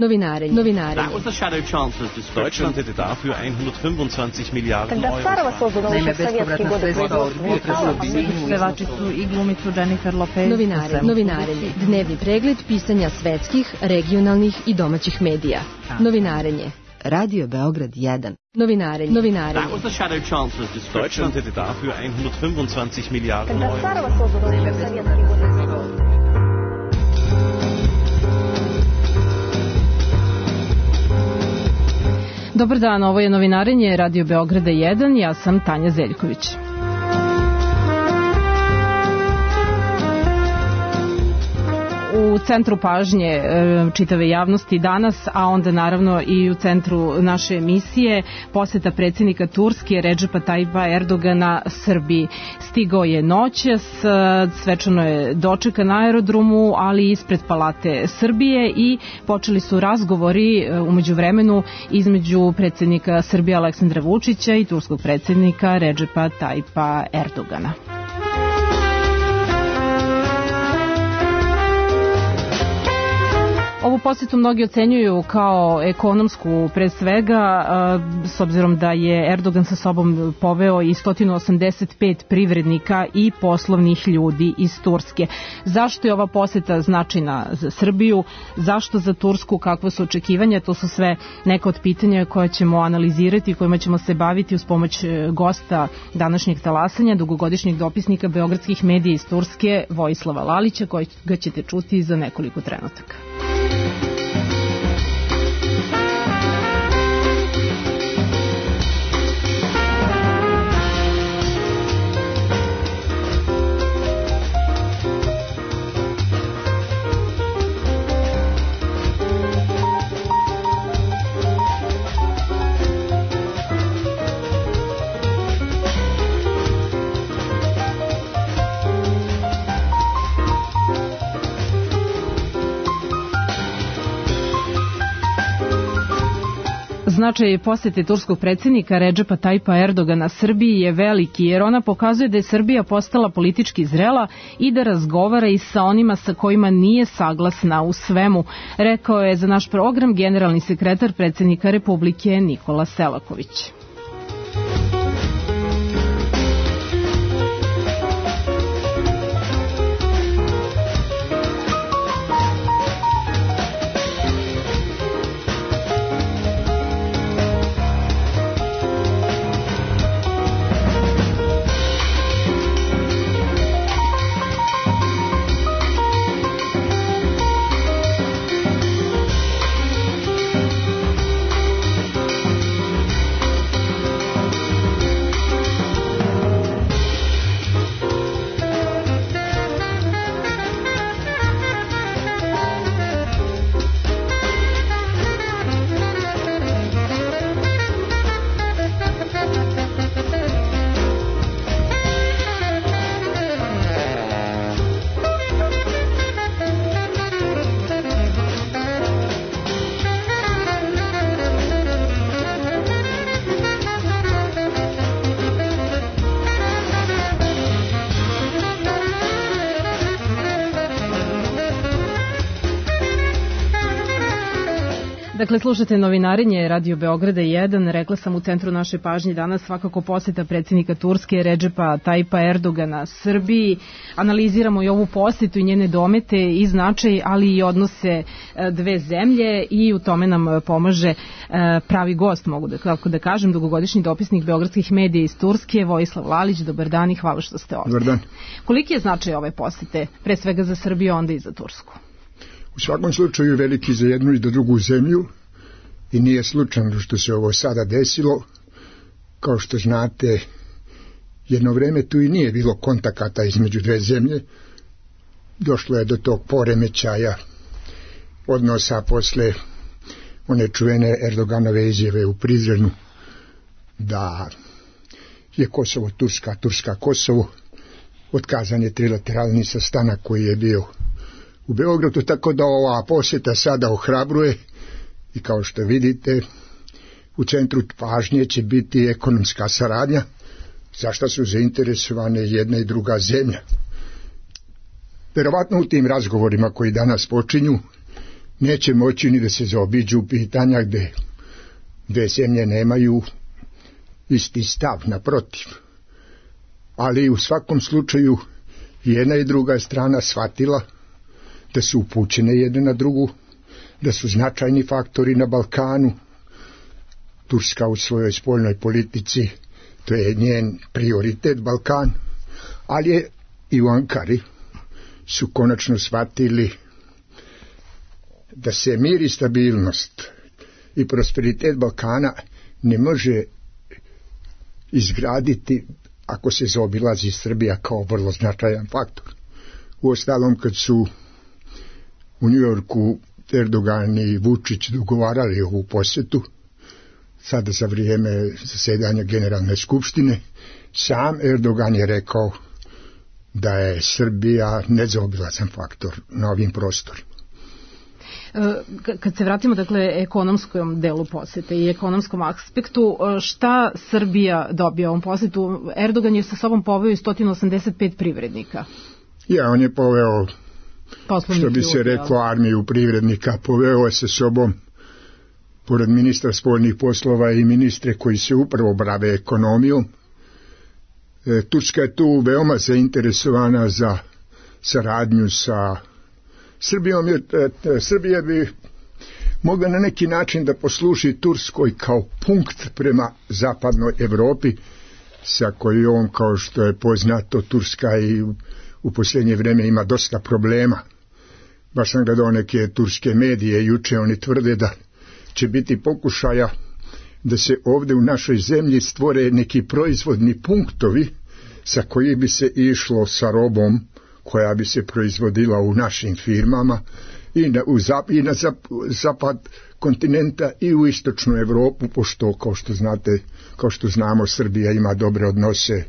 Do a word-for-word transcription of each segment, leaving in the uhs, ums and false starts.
Novinarenje. Novinarenje. That was the shadow chancellor's description. Deutschland hätte dafür hundertfünfundzwanzig Milliarden Euro. Naime, bespovratna sredstva od pevačicu i glumicu Jennifer Lopez. Novinarenje. Novinarenje. Dnevni pregled pisanja svetskih, regionalnih i domaćih medija. Novinarenje. Radio Beograd jedan. Novinarenje. Novinarenje. That was the shadow chancellor's description. Deutschland hätte dafür hundertfünfundzwanzig Milliarden Euro. Dobar dan, ovo je Novinarenje Radio Beograda jedan, ja sam Tanja Zeljković. U centru pažnje čitave javnosti danas, a onda naravno i u centru naše emisije, poseta predsjednika Turske Redžepa Tajipa Erdogana Srbiji. Stigao je noćas, svečano je dočekan na aerodromu, ali ispred Palate Srbije i počeli su razgovori u međuvremenu između predsjednika Srbije Aleksandra Vučića i turskog predsjednika Redžepa Tajipa Erdogana. Ovu posjetu mnogi ocenjuju kao ekonomsku pre svega, s obzirom da je Erdogan sa sobom poveo i sto osamdeset pet privrednika i poslovnih ljudi iz Turske. Zašto je ova posjeta značajna za Srbiju, zašto za Tursku, kakve su očekivanja, to su sve neka od pitanja koje ćemo analizirati i kojima ćemo se baviti uz pomoć gosta današnjeg talasanja, dugogodišnjeg dopisnika beogradskih medija iz Turske, Vojislava Lalića, kojega ćete čuti za nekoliko trenutaka. Značaj posete turskog predsjednika Redžepa Tajipa Erdogana Srbiji je veliki, jer ona pokazuje da je Srbija postala politički zrela i da razgovara i sa onima sa kojima nije saglasna u svemu, rekao je za naš program generalni sekretar predsjednika Republike Nikola Selaković. Dakle, slušate Novinarenje Radio Beograda jedan. Rekla sam, u centru naše pažnje danas svakako posjeta predsjednika Turske Redžepa Tajipa Erdogana Srbiji. Analiziramo i ovu posjetu i njene domete i značaj, ali i odnose dve zemlje, i u tome nam pomaže pravi gost, mogu da, kako da kažem, dugogodišnji dopisnik beogradskih medija iz Turske, Vojislav Lalić. Dobar dan i hvala što ste ovdje. Dobar dan. Koliki je značaj ove posjete, pre svega za Srbiju, onda i za Tursku? U svakom slučaju veliki za jednu i za drugu zemlju, i nije slučajno što se ovo sada desilo. Kao što znate, jedno vreme tu i nije bilo kontakata između dve zemlje. Došlo je do tog poremećaja odnosa posle one čuvene Erdoganove izjave u Prizrenu da je Kosovo Turska, Turska Kosovo. Otkazan je trilateralni sastanak koji je bio u Beogradu, tako da ova posjeta sada ohrabruje i kao što vidite u centru pažnje će biti ekonomska saradnja, za što su zainteresovane jedna i druga zemlja. Verovatno u tim razgovorima koji danas počinju neće moći ni da se zaobiđu pitanja gde dve zemlje nemaju isti stav, naprotiv. Ali u svakom slučaju jedna i druga strana shvatila da su upućene jedne na drugu, da su značajni faktori na Balkanu. Turska u svojoj spoljnoj politici, to je njen prioritet Balkan, ali je i u Ankari su konačno shvatili da se mir i stabilnost i prosperitet Balkana ne može izgraditi ako se zaobilazi Srbija kao vrlo značajan faktor. Uostalom, kad su u Njujorku Erdogan i Vučić dogovarali ovu posjetu, sada za vrijeme zasedanja Generalne skupštine, sam Erdogan je rekao da je Srbija nezaobilazan faktor na ovim prostorima. Kad se vratimo, dakle, ekonomskom delu posete i ekonomskom aspektu, šta Srbija dobija ovom posetu? Erdogan je sa sobom poveo i sto osamdeset pet privrednika. Ja, on je poveo, poslovnih što bi se reklo, armiju privrednika. Poveo je sa sobom, pored ministra spoljnih poslova, i ministre koji se upravo bave ekonomijom. E, Turska je tu veoma zainteresovana za saradnju sa Srbijom. Je, e, Srbija bi mogla na neki način da posluži Turskoj kao punkt prema zapadnoj Evropi, sa kojom, kao što je poznato, Turska i u posljednje vreme ima dosta problema. Baš sam gledao neke turske medije juče, oni tvrde da će biti pokušaja da se ovdje u našoj zemlji stvore neki proizvodni punktovi sa koji bi se išlo sa robom koja bi se proizvodila u našim firmama i na, u zap, i na zap, zapad kontinenta i u istočnu Evropu, pošto, kao što znate, kao što znamo, Srbija ima dobre odnose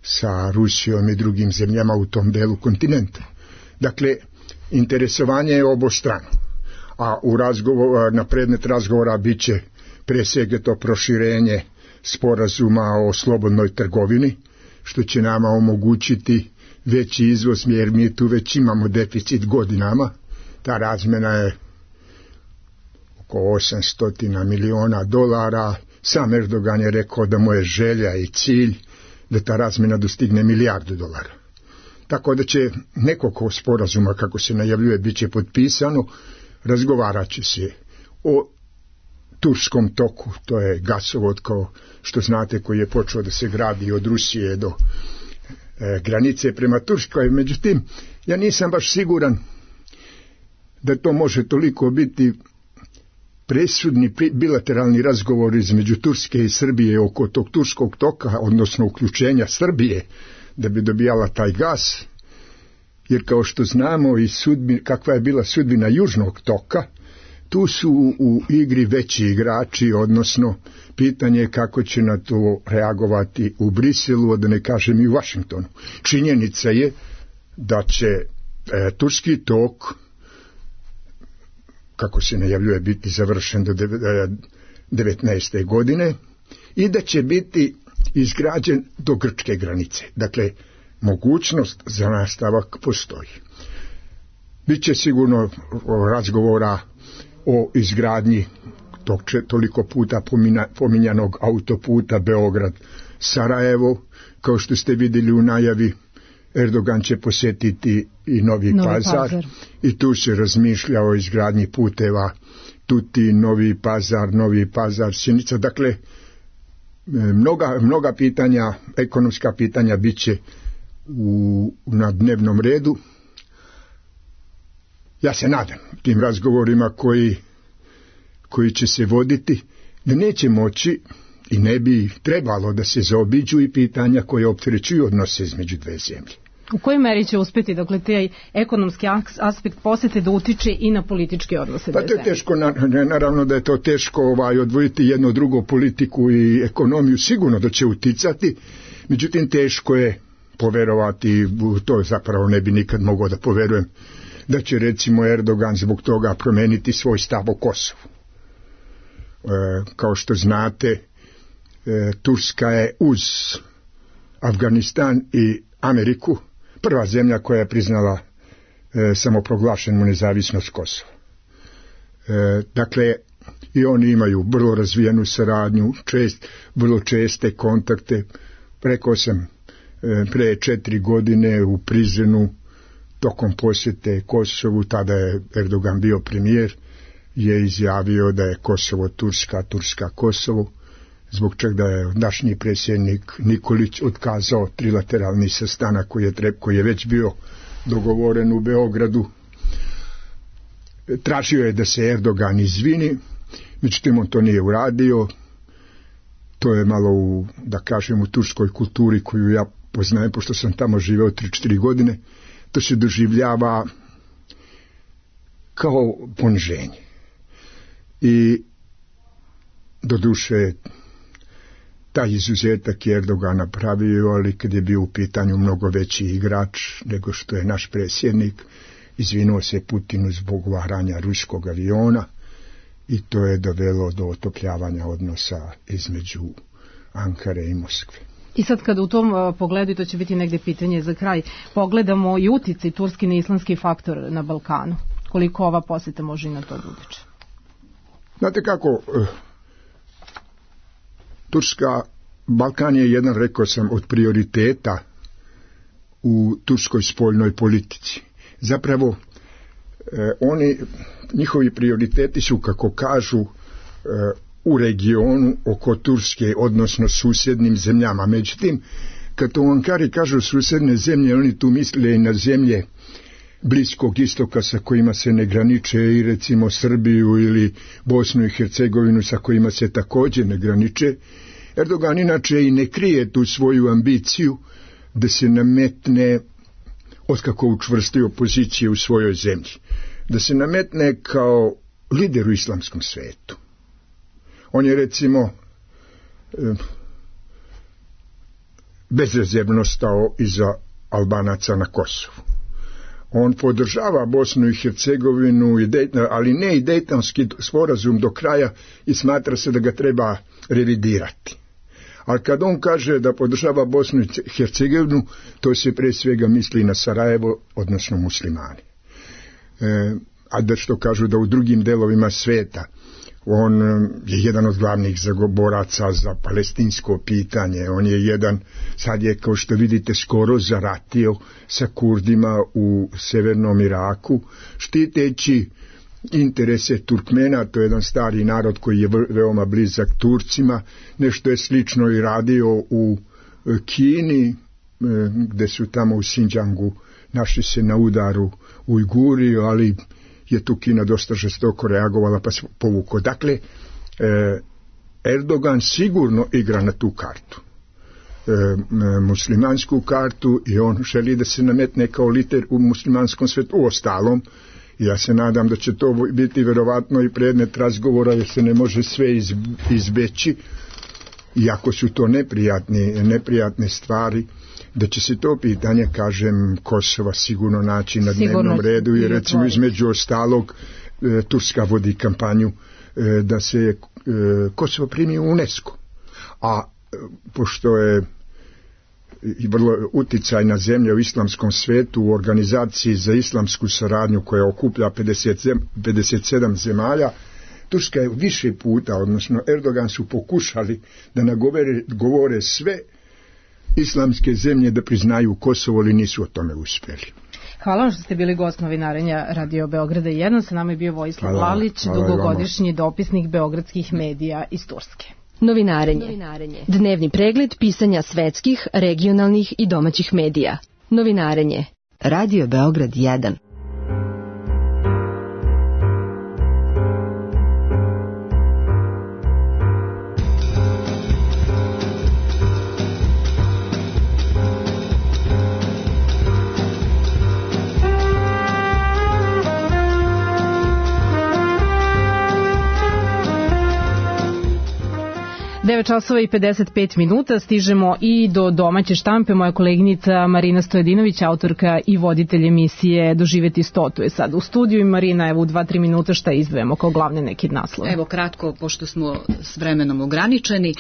sa Rusijom i drugim zemljama u tom delu kontinenta. Dakle, interesovanje je obostrano, a u razgovor, na predmet razgovora bit će pre svega to proširenje sporazuma o slobodnoj trgovini, što će nama omogućiti veći izvoz, jer mi tu već imamo deficit godinama. Ta razmjena je oko osamsto miliona dolara. Sam Erdogan je rekao da mu je želja i cilj da ta razmjena dostigne milijardu dolara. Tako da će nekoliko sporazuma, kako se najavljuje, bit će potpisano. Razgovarat će se o Turskom toku, to je gasovod, kao što znate, koji je počeo da se gradi od Rusije do e, granice prema Turskoj. Međutim, ja nisam baš siguran da to može toliko biti presudni bilateralni razgovor između Turske i Srbije oko tog Turskog toka, odnosno uključenja Srbije da bi dobijala taj gas, jer kao što znamo i sudbi, kakva je bila sudbina Južnog toka, tu su u igri veći igrači, odnosno pitanje je kako će na to reagovati u Briselu, da ne kažem i u Vašingtonu. Činjenica je da će e, Turski tok, kako se najavljuje, biti završen do devetnaeste godine i da će biti izgrađen do grčke granice. Dakle, mogućnost za nastavak postoji. Biće sigurno razgovora o izgradnji tog toliko puta pominjanog autoputa Beograd-Sarajevo. Kao što ste vidjeli u najavi, Erdogan će posjetiti i Novi, Novi Pazar, Pazar i tu se razmišlja o izgradnji puteva Tuti, Novi Pazar, Novi Pazar, Sjenica. Dakle, mnoga, mnoga pitanja, ekonomska pitanja bit će u, na dnevnom redu. Ja se nadam tim razgovorima koji, koji će se voditi, da neće moći i ne bi trebalo da se zaobiđu i pitanja koje opterećuju odnose između dve zemlje. U kojoj meri će uspjeti, dakle, taj ekonomski aspekt posete da utiče i na političke odnose dve zemlje? Pa to je teško, naravno da je to teško ovaj, odvojiti jedno drugo, politiku i ekonomiju, sigurno da će uticati, međutim teško je poverovati, to zapravo ne bi nikad mogao da poverujem, da će recimo Erdogan zbog toga promeniti svoj stav o Kosovu. E, kao što znate, e, Turska je uz Afganistan i Ameriku prva zemlja koja je priznala e, samoproglašenu nezavisnost Kosova. E, dakle, i oni imaju vrlo razvijenu saradnju, čest, vrlo česte kontakte. Rekao sam, e, pre četiri godine u Prizrenu, tokom posjete Kosovu, tada je Erdogan bio premijer, je izjavio da je Kosovo Turska, Turska Kosovo, zbog čega je našnji predsjednik Nikolić otkazao trilateralni sastanak koji je, treb, koji je već bio dogovoren u Beogradu. Tražio je da se Erdogan izvini, međutim on to nije uradio. To je malo u, da kažem, u turskoj kulturi koju ja poznajem, pošto sam tamo živeo tri četiri godine, to se doživljava kao poniženje. I doduše taj izuzetak je Erdogan napravio, ali kad je bio u pitanju mnogo veći igrač nego što je naš predsjednik, izvinuo se Putinu zbog varanja ruskog aviona i to je dovelo do otopljavanja odnosa između Ankare i Moskve. I sad kada u tom uh, pogledu, i to će biti negde pitanje za kraj, pogledamo i uticaj turski na islamski faktor na Balkanu, koliko ova posjeta može i na to da utiče? Znate kako, uh, Turska, Balkan je jedan, rekao sam, od prioriteta u turskoj spoljnoj politici. Zapravo, uh, oni, njihovi prioriteti su, kako kažu, uh, u regionu oko Turske, odnosno susjednim zemljama. Međutim, kad u Ankari kažu susjedne zemlje, oni tu misle i na zemlje Bliskog istoka sa kojima se ne graniče, i recimo Srbiju ili Bosnu i Hercegovinu sa kojima se također ne graniče. Erdogan inače i ne krije tu svoju ambiciju da se nametne, otkako učvrstio pozicije u svojoj zemlji, da se nametne kao lider u islamskom svetu. On je recimo bezrezervno stao iza Albanaca na Kosovu. On podržava Bosnu i Hercegovinu, ali ne i Dejtonski sporazum do kraja i smatra se da ga treba revidirati. Ali kad on kaže da podržava Bosnu i Hercegovinu, to se pre svega misli na Sarajevo, odnosno muslimani. E, a da što kažu da u drugim delovima sveta on je jedan od glavnih zagoboraca za palestinsko pitanje. On je jedan, sad je, kao što vidite, skoro zaratio sa Kurdima u severnom Iraku, štiteći interese Turkmena. To je jedan stari narod koji je veoma blizak Turcima. Nešto je slično i radio u Kini, gde su tamo u Xinjiangu našli se na udaru Ujguri, ali je tu Kina dosta žestoko reagovala pa se povuko. Dakle, eh, Erdogan sigurno igra na tu kartu, eh, muslimansku kartu, i on želi da se nametne kao lider u muslimanskom svetu. U ostalom, ja se nadam da će to biti verovatno i predmet razgovora, jer se ne može sve iz, izbeći, iako su to neprijatne, neprijatne stvari, da će se to pitanje, kažem, Kosova sigurno naći na sigurno dnevnom redu, i recimo između ostalog e, Turska vodi kampanju e, da se e, Kosovo primi u UNESCO. A e, pošto je i vrlo uticajna zemlja u islamskom svetu, u organizaciji za islamsku saradnju koja okuplja pedeset sedam zemalja, Turska je više puta, odnosno Erdogan su pokušali da nagovore govore sve islamske zemlje da priznaju Kosovo, ali nisu o tome uspjeli. Hvala vam što ste bili gost novinarenja Radio Beograda jedan. Sa nama je bio Vojislav Lalić, dugogodišnji dopisnik beogradskih medija iz Turske. Novinarenje. Novinarenje. Dnevni pregled pisanja svetskih, regionalnih i domaćih medija. Novinarenje. Radio Beograd jedan. devet časova i pedeset pet minuta, stižemo i do domaće štampe. Moja koleginica Marina Stojadinović, autorka i voditelj emisije Doživeti sto, tu je sad u studiju. I Marina, evo u dva tri minuta šta izdvojamo kao glavne neke naslove? Evo kratko, pošto smo s vremenom ograničeni.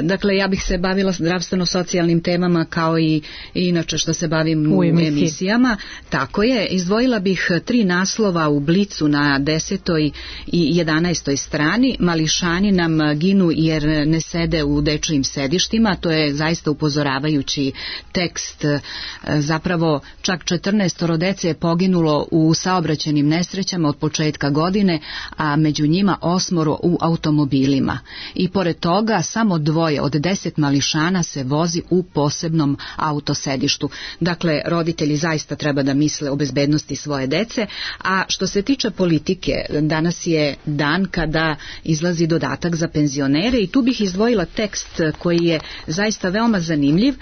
Dakle, ja bih se bavila zdravstveno-socijalnim temama kao i, i inače što se bavim u, u emisiji. emisijama. Tako je, izdvojila bih tri naslova u Blicu na desetoj i jedanaestoj strani. Mališani nam ginu jer ne sede u dečijim sedištima. To je zaista upozoravajući tekst. Zapravo čak četrnaestoro dece je poginulo u saobraćajnim nesrećama od početka godine, a među njima osmoro u automobilima. I pored toga samo dvoje od deset mališana se vozi u posebnom autosedištu. Dakle, roditelji zaista treba da misle o bezbednosti svoje dece. A što se tiče politike, danas je dan kada izlazi dodatak za penzionere i tu bih izdvojila tekst koji je zaista veoma zanimljiv.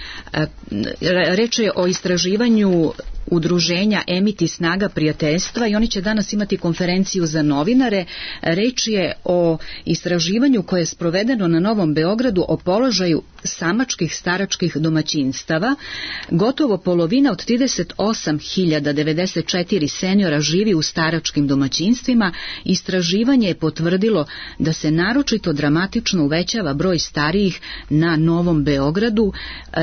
Reč je o istraživanju udruženja Emiti snaga prijateljstva i oni će danas imati konferenciju za novinare. Reč je o istraživanju koje je sprovedeno na Novom Beogradu o položaju samačkih staračkih domaćinstava. Gotovo polovina od trideset osam hiljada devedeset četiri seniora živi u staračkim domaćinstvima. Istraživanje je potvrdilo da se naročito dramatično uvećava broj starijih na Novom Beogradu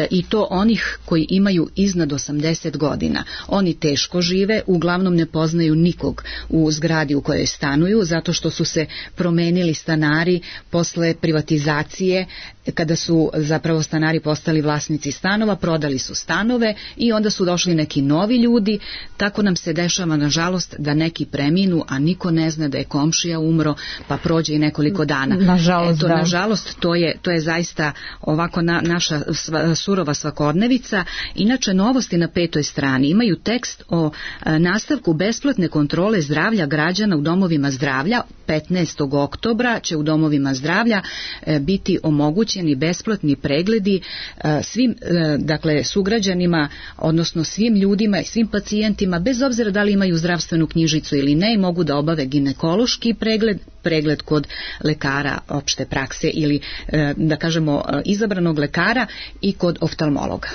i to onih koji imaju iznad osamdeset godina. Oni teško žive, uglavnom ne poznaju nikog u zgradi u kojoj stanuju, zato što su se promenili stanari posle privatizacije, kada su zapravo stanari postali vlasnici stanova, prodali su stanove i onda su došli neki novi ljudi. Tako nam se dešava, nažalost, da neki preminu, a niko ne zna da je komšija umro, pa prođe i nekoliko dana. Nažalost, Eto, da. Nažalost, to je, to je zaista ovako na, naša sva, surova svakodnevica. Inače, novosti na petoj strani imaju tekst o a, nastavku besplatne kontrole zdravlja građana u domovima zdravlja. petnaestog oktobra će u domovima zdravlja e, biti omogućeni besplatni pregledi e, svim e, dakle sugrađanima, odnosno svim ljudima i svim pacijentima, bez obzira da li imaju zdravstvenu knjižicu ili ne, i mogu da obave ginekološki pregled, pregled kod lekara opšte prakse ili e, da kažemo izabranog lekara i kod oftalmologa.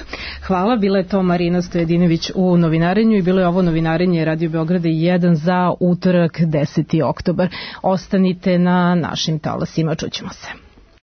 Hvala, bila je to Marina Stojadinović u novinarenju i bilo je ovo novinarenje Radio Beograda jedan za utorak deseti oktobar. Ostanite na našim talasima, čućemo se.